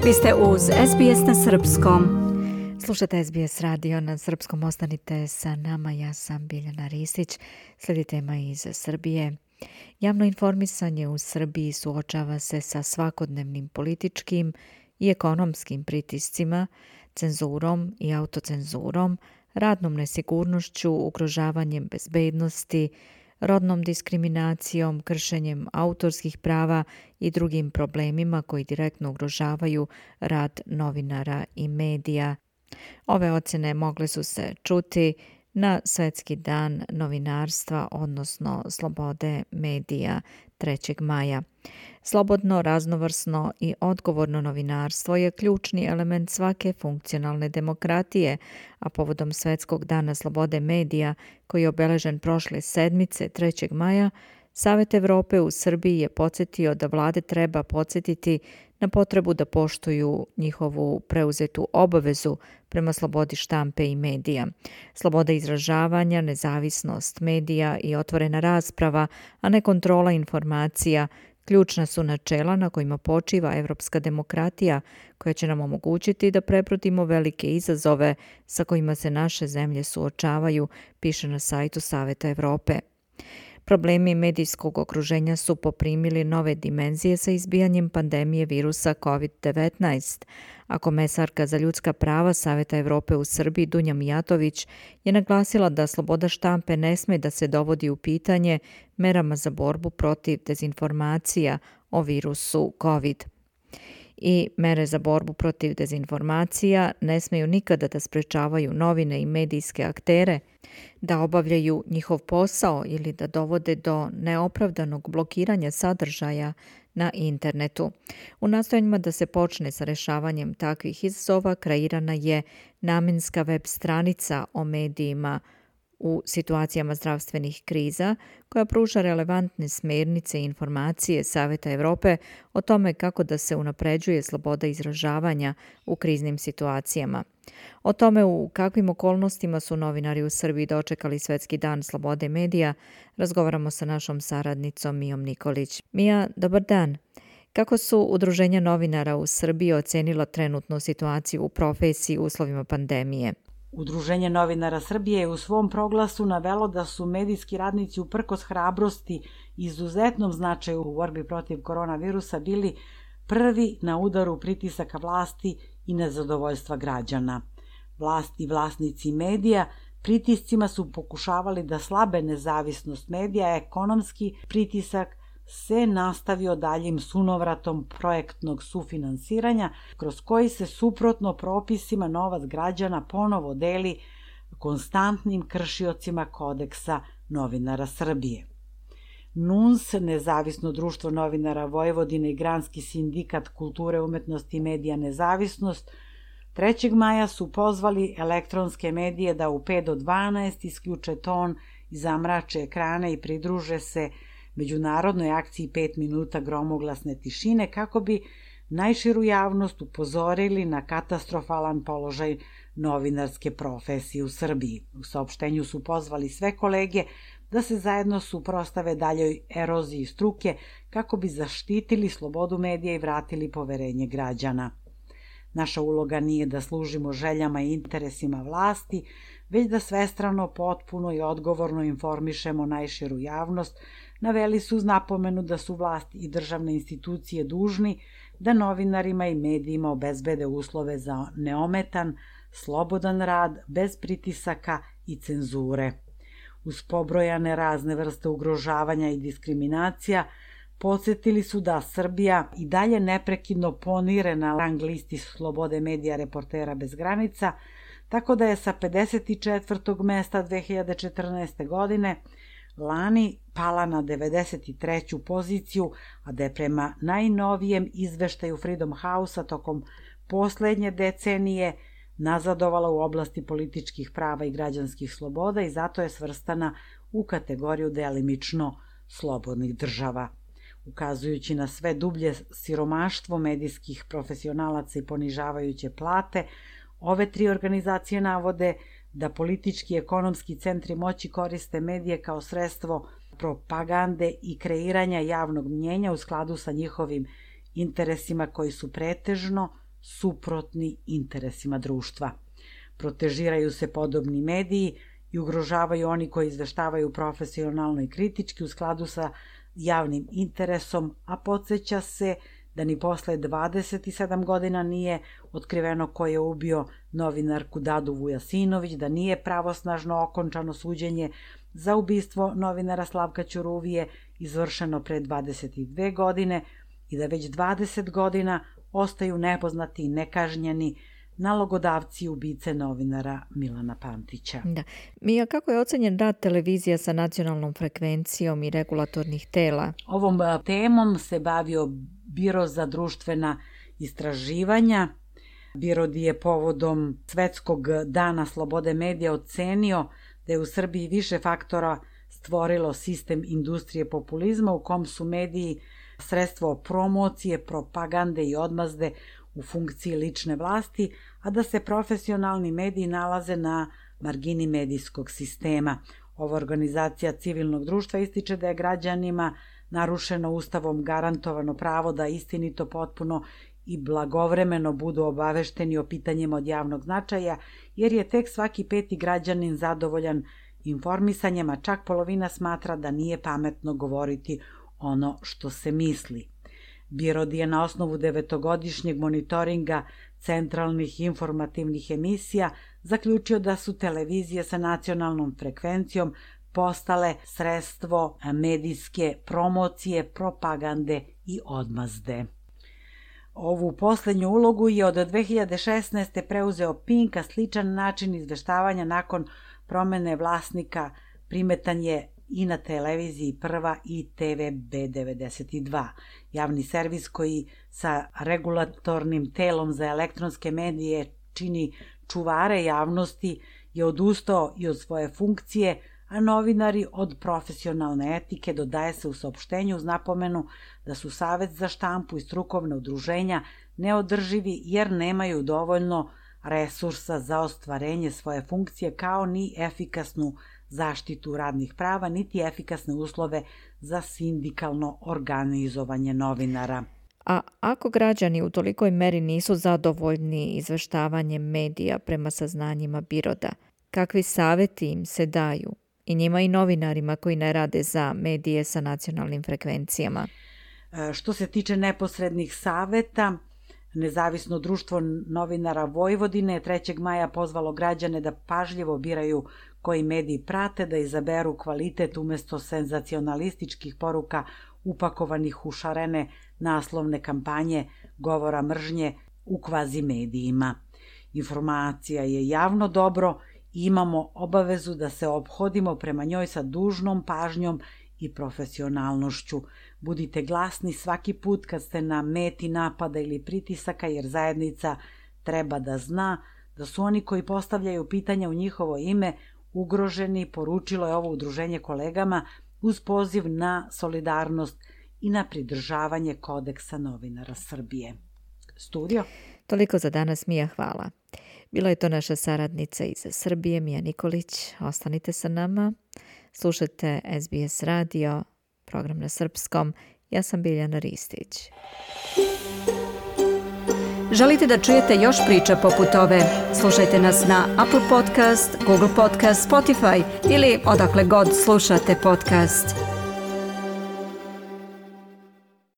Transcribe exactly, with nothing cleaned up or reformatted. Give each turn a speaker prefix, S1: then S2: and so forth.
S1: Vi ste uz S B S na srpskom. Slušate S B S radio na srpskom, ostanite sa nama, ja sam Biljana Ristić. Slijedi tema iz Srbije. Javno informisanje u Srbiji suočava se sa svakodnevnim političkim i ekonomskim pritiscima, cenzurom i autocenzurom, radnom nesigurnošću, ugrožavanjem bezbednosti, rodnom diskriminacijom, kršenjem autorskih prava i drugim problemima koji direktno ugrožavaju rad novinara i medija. Ove ocjene mogle su se čuti na Svetski dan novinarstva, odnosno slobode medija trećeg maja. Slobodno, raznovrsno i odgovorno novinarstvo je ključni element svake funkcionalne demokratije, a povodom Svetskog dana slobode medija, koji je obeležen prošle sedmice trećeg maja, Savet Evrope u Srbiji je podsjetio da vlade treba podsjetiti na potrebu da poštuju njihovu preuzetu obavezu prema slobodi štampe i medija. Sloboda izražavanja, nezavisnost medija i otvorena rasprava, a ne kontrola informacija, ključna su načela na kojima počiva evropska demokratija, koja će nam omogućiti da prebrodimo velike izazove sa kojima se naše zemlje suočavaju, piše na sajtu Saveta Evrope. Problemi medijskog okruženja su poprimili nove dimenzije sa izbijanjem pandemije virusa kovid devetnaest, a komesarka za ljudska prava Saveta Evrope u Srbiji Dunja Mijatović je naglasila da sloboda štampe ne sme da se dovodi u pitanje merama za borbu protiv dezinformacija o virusu COVID. I mere za borbu protiv dezinformacija ne smeju nikada da sprečavaju novine i medijske aktere da obavljaju njihov posao ili da dovode do neopravdanog blokiranja sadržaja na internetu. U nastojanjima da se počne sa rešavanjem takvih izazova kreirana je namenska web stranica o medijima u situacijama zdravstvenih kriza, koja pruža relevantne smernice i informacije Saveta Evrope o tome kako da se unapređuje sloboda izražavanja u kriznim situacijama. O tome u kakvim okolnostima su novinari u Srbiji dočekali Svetski dan slobode medija, razgovaramo sa našom saradnicom Mijom Nikolić. Mija, dobar dan. Kako su udruženja novinara u Srbiji ocenila trenutnu situaciju u profesiji u uslovima pandemije?
S2: Udruženje novinara Srbije je u svom proglasu navelo da su medijski radnici uprkos hrabrosti i izuzetnom značaju u borbi protiv koronavirusa bili prvi na udaru pritisaka vlasti i nezadovoljstva građana. Vlasti i vlasnici medija pritiscima su pokušavali da slabe nezavisnost medija, a ekonomski pritisak se nastavio daljim sunovratom projektnog sufinansiranja, kroz koji se suprotno propisima novac građana ponovo deli konstantnim kršiocima kodeksa novinara Srbije. N U N S, Nezavisno društvo novinara Vojvodine i Granski sindikat kulture, umetnosti i medija Nezavisnost, trećeg maja su pozvali elektronske medije da u pet do dvanaest isključe ton i zamrače ekrane i pridruže se međunarodnoj akciji pet minuta gromoglasne tišine kako bi najširu javnost upozorili na katastrofalan položaj novinarske profesije u Srbiji. U saopštenju su pozvali sve kolege da se zajedno suprotstave daljoj eroziji struke kako bi zaštitili slobodu medija i vratili poverenje građana. Naša uloga nije da služimo željama i interesima vlasti, već da svestrano, potpuno i odgovorno informišemo najširu javnost, naveli su uz napomenu da su vlast i državne institucije dužni da novinarima i medijima obezbede uslove za neometan, slobodan rad, bez pritisaka i cenzure. Uz pobrojane razne vrste ugrožavanja i diskriminacija, podsjetili su da Srbija i dalje neprekidno ponire na rang listi slobode medija Reportera bez granica, tako da je sa pedeset četvrtog mesta dve hiljade četrnaeste. godine lani pala na devedeset treću poziciju, a da je prema najnovijem izveštaju Freedom House-a tokom poslednje decenije nazadovala u oblasti političkih prava i građanskih sloboda i zato je svrstana u kategoriju delimično slobodnih država. Ukazujući na sve dublje siromaštvo medijskih profesionalaca i ponižavajuće plate, ove tri organizacije navode da politički i ekonomski centri moći koriste medije kao sredstvo propagande i kreiranja javnog mnjenja u skladu sa njihovim interesima koji su pretežno suprotni interesima društva. Protežiraju se podobni mediji i ugrožavaju oni koji izveštavaju profesionalno i kritički u skladu sa javnim interesom, a podsjeća se da ni posle dvadeset sedam godina nije otkriveno ko je ubio novinarku Dadu Vujasinović, da nije pravosnažno okončano suđenje za ubistvo novinara Slavka Ćuruvije izvršeno pre dvadeset dve godine i da već dvadeset godina ostaju nepoznati i nekažnjeni nalogodavci ubice novinara Milana Pantića.
S1: Da. Mija, kako je ocenjen rad televizija sa nacionalnom frekvencijom i regulatornih tela?
S2: Ovom temom se bavio Biro za društvena istraživanja. Biro je povodom Svetskog dana slobode medija ocenio da je u Srbiji više faktora stvorilo sistem industrije populizma u kom su mediji sredstvo promocije, propagande i odmazde u funkciji lične vlasti, a da se profesionalni mediji nalaze na margini medijskog sistema. Ova organizacija civilnog društva ističe da je građanima narušeno Ustavom garantovano pravo da istinito, potpuno i blagovremeno budu obavešteni o pitanjima od javnog značaja, jer je tek svaki peti građanin zadovoljan informisanjem, a čak polovina smatra da nije pametno govoriti ono što se misli. Biro je na osnovu devetogodišnjeg monitoringa centralnih informativnih emisija zaključio da su televizije sa nacionalnom frekvencijom postale sredstvo medijske promocije, propagande i odmazde. Ovu poslednju ulogu je od dve hiljade šesnaeste. preuzeo Pink, a sličan način izveštavanja nakon promene vlasnika primetan je i na televiziji Prva i te ve be devedeset dva. Javni servis koji sa regulatornim telom za elektronske medije čini čuvare javnosti je odustao i od svoje funkcije, a novinari od profesionalne etike, dodaje se u saopštenju uz napomenu da su Savet za štampu i strukovna udruženja neodrživi jer nemaju dovoljno resursa za ostvarenje svoje funkcije kao ni efikasnu zaštitu radnih prava, niti efikasne uslove za sindikalno organizovanje novinara.
S1: A ako građani u tolikoj meri nisu zadovoljni izveštavanjem medija prema saznanjima Biroda, kakvi saveti im se daju i njima i novinarima koji ne rade za medije sa nacionalnim frekvencijama?
S2: Što se tiče neposrednih saveta, Nezavisno društvo novinara Vojvodine je trećeg maja pozvalo građane da pažljivo biraju koji mediji prate, da izaberu kvalitet umesto senzacionalističkih poruka upakovanih u šarene naslovne kampanje govora mržnje u kvazi medijima. Informacija je javno dobro i imamo obavezu da se ophodimo prema njoj sa dužnom pažnjom i profesionalnošću. Budite glasni svaki put kad ste na meti napada ili pritisaka, jer zajednica treba da zna da su oni koji postavljaju pitanja u njihovo ime ugroženi, poručilo je ovo udruženje kolegama uz poziv na solidarnost i na pridržavanje kodeksa novinara Srbije. Studio.
S1: Toliko za danas, Mija, hvala. Bila je to naša saradnica iz Srbije, Mija Nikolić. Ostanite sa nama. Slušajte es be es radio, program na srpskom. Ja sam Biljana Ristić.
S3: Želite da čujete još priča poput ove? Slušajte nas na Apple Podcast, Google Podcast, Spotify ili odakle god slušate podcast.